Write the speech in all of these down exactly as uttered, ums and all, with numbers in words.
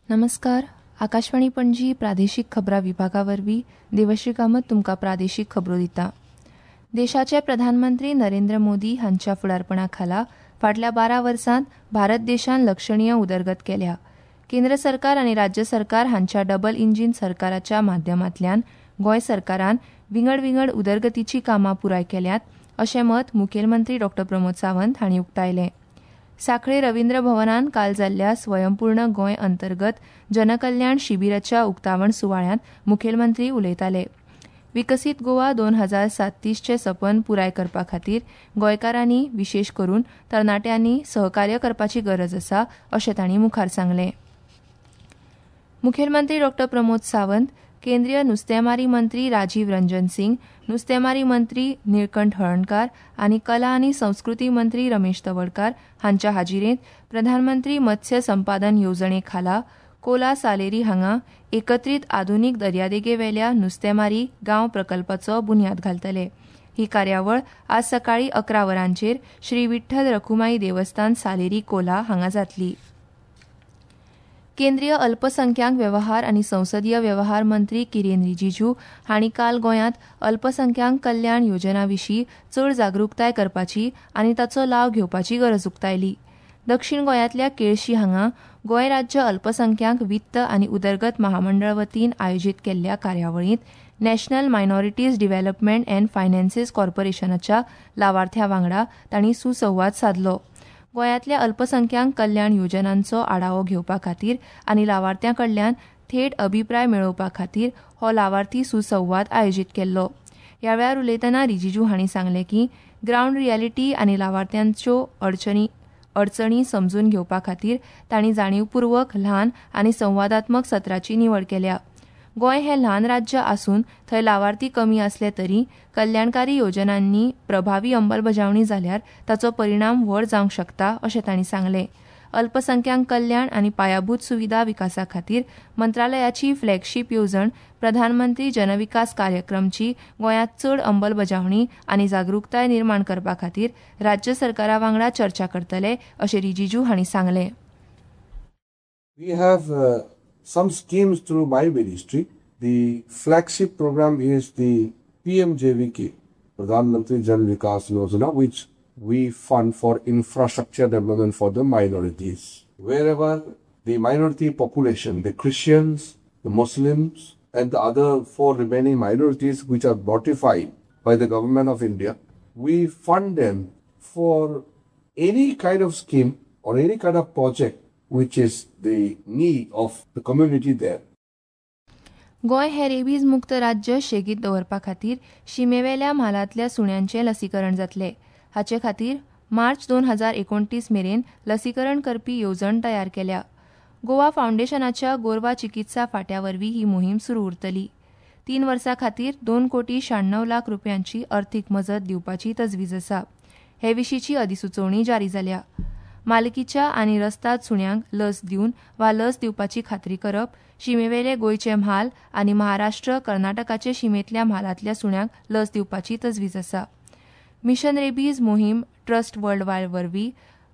नमस्कार. आकाशवाणी पणजी प्रादेशीक खबरां विभागा वरवीं देवश्री कामत तुमकां प्रादेशीक खबरो दिता. देशाचे प्रधानमंत्री नरेंद्र मोदी हांच्या फुडारपणा खाला फाटल्या बारा वर्सांत भारत देशान लक्षणीय उदरगत केल्या. केंद्र सरकार आनी राज्य सरकार हांच्या डबल इंजीन सरकाराच्या माध्यमांतल्यान गोंय सरकारान विंगड विंगड उदरगतीची कामां पुराय केल्यात अशें मत मुखेलमंत्री डॉ प्रमोद सावंत हांणी उक्तायलें. सांखळे रवींद्र भवनान काल जाल्ल्या स्वयंपूर्ण गोंय अंतर्गत जनकल्याण शिबिराच्या उक्तावण सुवाळ्यांत मुखेलमंत्री उलयताले. विकसीत गोवा दोन हजार सात्तीसचें सपन पुराय करपा खातीर गोंयकारांनी विशेश करून तरणाट्यांनी सहकार्य करपाची गरज आसा अशें तांणी मुखार सांगलें. मुखेलमंत्री डॉ प्रमोद सावंत, केंद्रीय नुस्तेमारी मंत्री राजीव रंजन सिंग, नुस्तेमारी मंत्री निळकंठ हळर्णकार आनी कला आनी संस्कृती मंत्री रमेश तवडकार हांच्या हाजिरेंत प्रधानमंत्री मत्स्य संपादन येवजणे खाला कोला सालेरी हांगा एकत्रीत आधुनीक दर्यादेगेवेल्या नुस्तेमारी गांव प्रकल्पाचो बुन्याद घालतले. ही कार्यावळ आज सकाळीं अकरा वरांचेर श्री विठ्ठल रखुमाई देवस्थान सालेरी कोला हांगा जातली. केंद्रीय अल्पसंख्याक वेवहार आनी संसदीय वेवहार मंत्री किरेन रिजिजू हांणी काल गोंयांत अल्पसंख्याक कल्याण योजना विशीं चड जागृताय करपाची आनी ताचो लाव घेवपाची गरज उक्तायली. दक्षिण गोंयांतल्या केळशी हांगा गोंय राज्य अल्पसंख्याक वित्त आनी उदरगत महामंडळ वतीन आयोजीत केल्ल्या कार्यावळींत National Minorities Development and Finances कॉर्पोरेशनाच्या लावार्थ्यां वांगडा तांणी सुसंवाद सादलो. गोंयांतल्या अल्पसंख्याक कल्याण योजनांचो आढावो घेवपा खातीर आनी लावार्थ्यां कडल्यान थेट अभिप्राय मेळोवपा खातीर हो लावार्थी सुसंवाद आयोजीत केल्लो. ह्या वेळार उलयतना रिजिजू हांणी सांगलें की ग्रावंड रियलिटी आनी लावार्थ्यांच्यो अडचणी अडचणी समजून घेवपा खातीर तांणी जाणीवपूर्वक ल्हान आनी संवादात्मक सत्राची निवड केल्या. गोंय हें ल्हान राज्य आसून थंय लावार्थी कमी आसले तरी कल्याणकारी योजनांनी प्रभावी अंमलबजावणी जाल्यार ताचो परिणाम व्हड जावंक शकता अशें तांणी सांगलें. अल्पसंख्याक कल्याण आनी पायाभूत सुविधा विकासा खातीर मंत्रालयाची फ्लॅगशीप येवजण प्रधानमंत्री जनविकास कार्यक्रमची गोंयांत चड अंमलबजावणी आनी जागृताय निर्माण करपा खातीर राज्य सरकारा वांगडा चर्चा करतले अशें रिजिजू हांणी सांगलें. We have uh, some schemes through my ministry. The flagship program is the P M J V K, Pradhan Mantri Jan Vikas Yojana, which we fund for infrastructure development for the minorities. Wherever the minority population, the Christians, the Muslims, and the other four remaining minorities which are notified by the government of India, we fund them for any kind of scheme or any kind of project which is the need of the community there. Goa हें rabies मुक्त राज्य शेगीत दवरपा खातीर शिमेवेल्या म्हालांतल्या सुण्यांचें लसीकरण जातलें. हाचे खातीर मार्च दोन हजार एकोणतीस मेरेन लसीकरण करपी येवजण तयार केल्या. गोवा फावंडेशनाच्या गोरवा चिकित्सा फांट्या वरवीं ही मोहीम सुरू उरतली. तीन वर्सां खातीर दोन कोटी शहाण्णव लाख रुपयांची अर्थीक मजत दिवपाची तजवीज आसा. हे विशींची अधिसुचोवणी जारी जाल्या. मालकीच्या आनी रस्ताद सुण्यांक लस दिवन वा लस दिवपाची खात्री करप, शिमेवेले गोंयचे म्हाल आनी महाराष्ट्र कर्नाटकाचे शिमेंतल्या म्हालांतल्या सुण्यांक लस दिवपाची तजवीज आसा. मिशन रेबीज मोहीम ट्रस्ट वर्ल्ड वायड वरवीं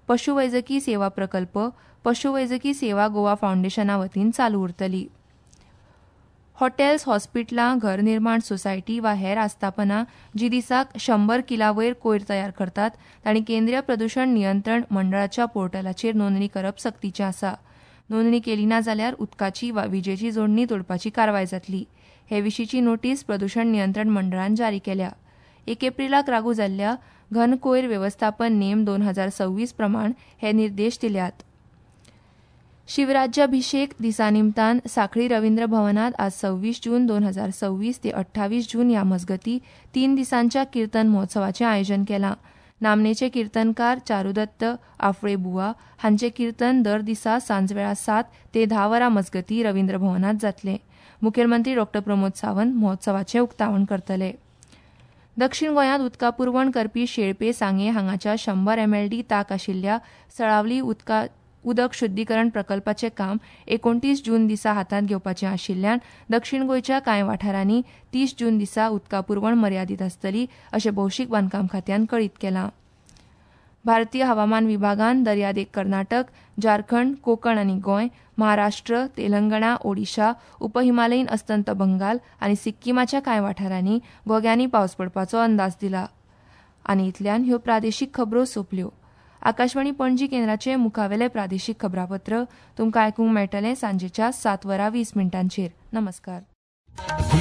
पशुवैजकी सेवा प्रकल्प पशुवैजकी सेवा गोवा फावंडेशना वतीन चालू उरतली. हॉटेल्स, हॉस्पिटलां, घर निर्माण सोसायटी वा हेर आस्थापनां जी दिसाक शंबर किला वयर कोयर तयार करतात तांणी केंद्रीय प्रदूषण नियंत्रण मंडळाच्या पोर्टलाचेर नोंदणी करप सक्तीचें आसा. नोंदणी केली ना जाल्यार उदकाची वा विजेची जोडणी तोडपाची कारवाय जातली. हे विशींची नोटीस प्रदूषण नियंत्रण मंडळान जारी केल्या. एक एप्रिलाक लागू जाल्ल्या घन कोयर वेवस्थापन नेम दोन हजार सव्वीस प्रमाण हे निर्देश दिल्यात. शिवराज्याभिषेक दिसा निमतान सांखळी रवींद्र भवनात आज सव्वीस जून दोन हजार सव्वीस ते अठ्ठावीस जून ह्या मजगती तीन दिसांच्या किर्तन महोत्सवाचें आयोजन केलां. नामनेचे किर्तनकार चारुदत्त आफळे बुवा हांचे किर्तन दर दिसा सांजवेळा सात ते धा वरां मजगती रवींद्र भवनात जातलें. मुखेलमंत्री डॉ प्रमोद सावंत महोत्सवाचें उक्तावण करतले. दक्षिण गोंयांत उदका पुरवण करपी शेळपे सांगे हांगाच्या शंबर एमएलडी ताक आशिल्ल्या सळावली उदका उदक शुद्धीकरण प्रकल्पाचें काम एकोणतीस जून दिसा हातांत घेवपाचें आशिल्ल्यान दक्षिण गोंयच्या कांय वाठारांनी तीस जून दिसा उदका पुरवण मर्यादीत आसतली अशें भौशीक बांदकाम खात्यान कळीत केलां. भारतीय हवामान विभागान दर्यादेग कर्नाटक, झारखंड, कोकण आनी गोंय, महाराष्ट्र, तेलंगणा, ओडिशा, उपहिमालयीन अस्तंत बंगाल आनी सिक्कीमाच्या कांय वाठारांनी घोग्यांनी पावस पडपाचो अंदाज दिला. आनी इतल्यान ह्यो प्रादेशीक खबरो सोंपल्यो. आकाशवाणी पणजी केंद्राचे मुखावेले प्रादेशीक खबरापत्र तुमकां आयकूंक मेळटलें सांजेच्या सात वरां वीस मिनटांचेर. नमस्कार.